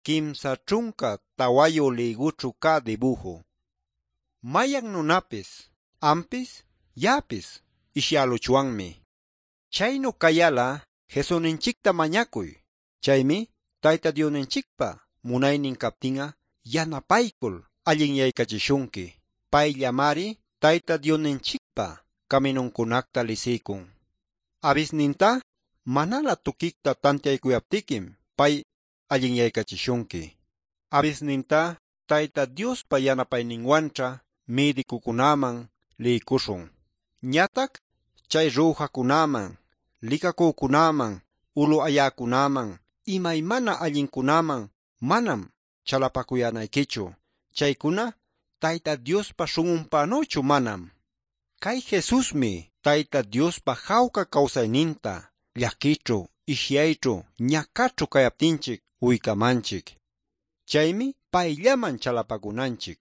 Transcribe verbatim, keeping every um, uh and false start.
Kimsa ćhunka tawayu lïgućhu cä dibuju. Mayan nunapis, ampis, ya'apis ishyäluchwanmi. Chaynu cayal'a Jesusninchicta mañacuy. Chaymi Tayta Diosninchicpa munaynin captin'a yanapaycul allinyaycachishunqui. Payllamari Tayta Diosninchicpa caminuncunacta lisiycun. Abisninta manalä tuquicta tantiaycuyaptiquim pay allinyaycachishunqui. Abisninta Tayta Diospa yanapayninwanćha mïdicucunaman liycuśhun. Ñatac chay rujacunaman, licacücunaman, ulu ayäcunaman, imaymana allincunaman manam chalapacuyänayquichu. Chaycuna Tayta Diospa śhun'unpänüchu manam. Cay Jesusmi Tayta Diospa jawca cawsayninta llaquićhu, ishyayćhu, ñacaćhu cayaptinchic uycamanchic. Chaymi payllaman chalapacunanchic.